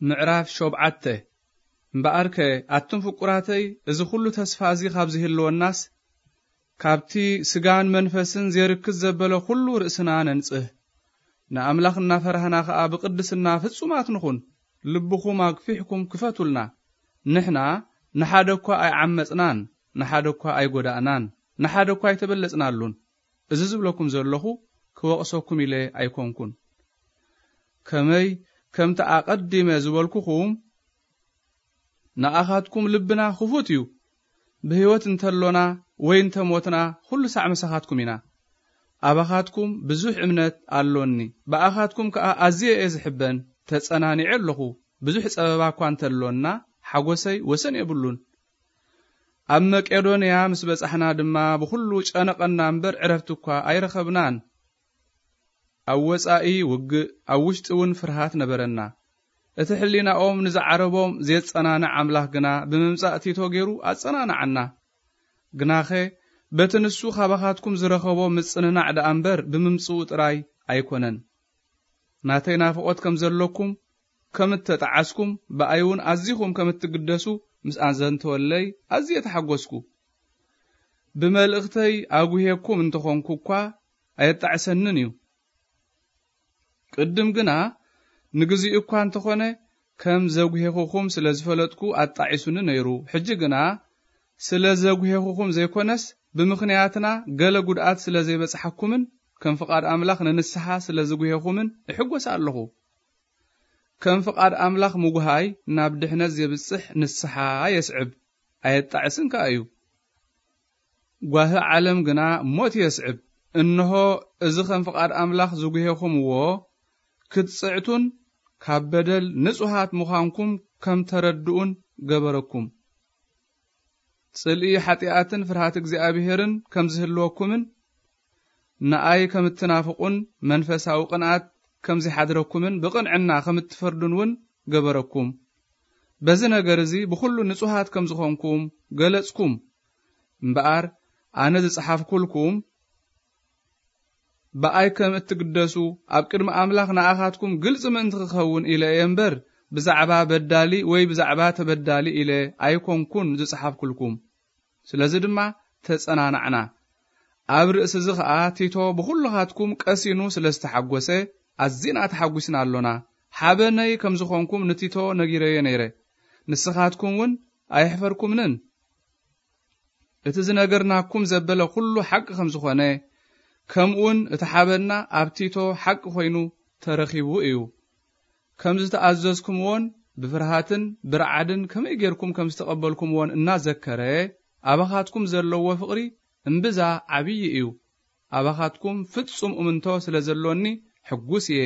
ምዕራፍ ሸውዓተ። እምበኣርከ ኣቱም ፍቁራተይ፣ እዚ ኹሉ ተስፋ እዚ ካብ ዝህልወናስ፣ ካብቲ ስጋን መንፈስን ዜርክስ ዘበለ ኹሉ ርእስና ነንጽህ። ንኣምላኽ እናፈራህና ኸኣ ብቕድስና ፍጹማት ንኹን። ልብኹም ኣግፊሕኩም ክፈቱልና። ንሕና ንሓደ እኳ ኣይዓመጽናን፣ ንሓደ እኳ ኣይጎዳእናን፣ ንሓደ እኳ ኣይተበለጽናሉን። እዚ ዝብለኩም ዘለኹ ክወቕሰኩም ኢለ ኣይኮንኩን። ከመይ ከምቲ ኣቐዲመ ዝበልኩኹም፣ ንኣኻትኩም ልብና ክፉት እዩ። ብህይወት እንተሎና ወይ እንተሞትና፣ ኩሉ ሳዕ ምሳኻትኩም ኢና። ኣባኻትኩም ብዙሕ እምነት ኣሎኒ። ብኣኻትኩም ከኣ ኣዝየ እየ ዝሕበን፣ ተጸናኒዐ ኣለኹ። ብዙሕ ጸበባ እኳ እንተሎና፣ ሓጎሰይ ወሰን የብሉን። ኣብ መቄዶንያ ምስ በጻሕና ድማ፣ ብኹሉ ጨነቐና እምበር፣ ዕረፍቲ እኳ ኣይረኸብናን። ኣብ ወጻኢ ውግእ፣ ኣብ ውሽጢ እውን ፍርሃት ነበረና። እቲ ሕሊናኦም ንዝዓረቦም ዜጸናንዕ ኣምላኽ ግና ብምምጻእ ቲቶ ገይሩ ኣጸናንዓና። ግናኸ በቲ ንሱ ካባኻትኩም ዝረኸቦ ምጽንናዕ ደኣ እምበር ብምምጽኡ ጥራይ ኣይኮነን። ናተይ ናፍቖት ከም ዘለኩም፣ ከም እተጠዓስኩም፣ ብኣይ እውን ኣዚኹም ከም እትግደሱ ምስ ኣዘንተወለይ ኣዝየ ተሓጎስኩ። ብመልእኽተይ ኣጉህየኩም እንተኾንኩ እኳ ኣየጣዕሰንን እዩ። ቅድም ግና ንግዚኡ እኳ እንተኾነ ከም ዘጉሄኹኹም ስለ ዝፈለጥኩ ኣጣዒሱኒ ነይሩ። ሕጂ ግና ስለ ዘጉሄኹኹም ዘይኮነስ ብምኽንያትና ገለ ጉድኣት ስለ ዘይበጽሓኩምን ከም ፍቓድ ኣምላኽ ንንስሓ ስለ ዝጉሄኹምን እሕጎስ ኣለኹ። ከም ፍቓድ ኣምላኽ ምጉሃይ ናብ ድሕነት ዜብጽሕ ንስሓ የስዕብ፣ ኣየጣዕስን ከኣ እዩ። ጓሂ ዓለም ግና ሞት የስዕብ። እንሆ፣ እዚ ኸም ፍቓድ ኣምላኽ ዝጉሄኹምዎ ክትጽዕቱን ካብ በደል ንጹሃት ምዃንኩም ከም ተረድኡን ገበረኩም። ጽልኢ ሓጢኣትን ፍርሃት እግዚኣብሄርን ከም ዝህልወኩምን ንኣይ ከም እትናፍቑን መንፈሳዊ ቅንኣት ከም ዚሓድረኩምን ብቕንዕና ከም እትፈርዱን እውን ገበረኩም። በዚ ነገር እዚ ብኹሉ ንጹሃት ከም ዝኾንኩም ገለጽኩም። እምበኣር ኣነ ዝጸሓፍኩልኩም ብኣይ ከም እትግደሱ ኣብ ቅድሚ ኣምላኽ ንኣኻትኩም ግልጺ ምእንቲ ክኸውን ኢለ እየ እምበር፣ ብዛዕባ በዳሊ ወይ ብዛዕባ ተበዳሊ ኢለ ኣይኮንኩን ዝጸሓፍኩልኩም። ስለዚ ድማ ተጸናናዕና። ኣብ ርእሲ እዚ ኸኣ ቲቶ ብኹልኻትኩም ቀሲኑ ስለ ዝተሓጎሰ ኣዚና ተሓጒስና ኣሎና። ሓበነይ ከም ዝኾንኩም ንቲቶ ነጊረዮ ነይረ። ንስኻትኩም እውን ኣየሕፈርኩምንን። እቲ ዝነገርናኩም ዘበለ ኩሉ ሓቂ ከም ዝኾነ፣ ከምኡውን እቲ ሓበንና ኣብ ቲቶ ሓቂ ኮይኑ ተረኺቡ እዩ። ከም ዝተኣዘዝኩምዎን ብፍርሃትን ብርዓድን ከመይ ጌርኩም ከም ዝተቐበልኩምዎን እናዘከረ፣ ኣባኻትኩም ዘለዎ ፍቕሪ እምብዛ ዓብዪ እዩ። ኣባኻትኩም ፍጹም እምንቶ ስለ ዘሎኒ ሕጉስ እየ።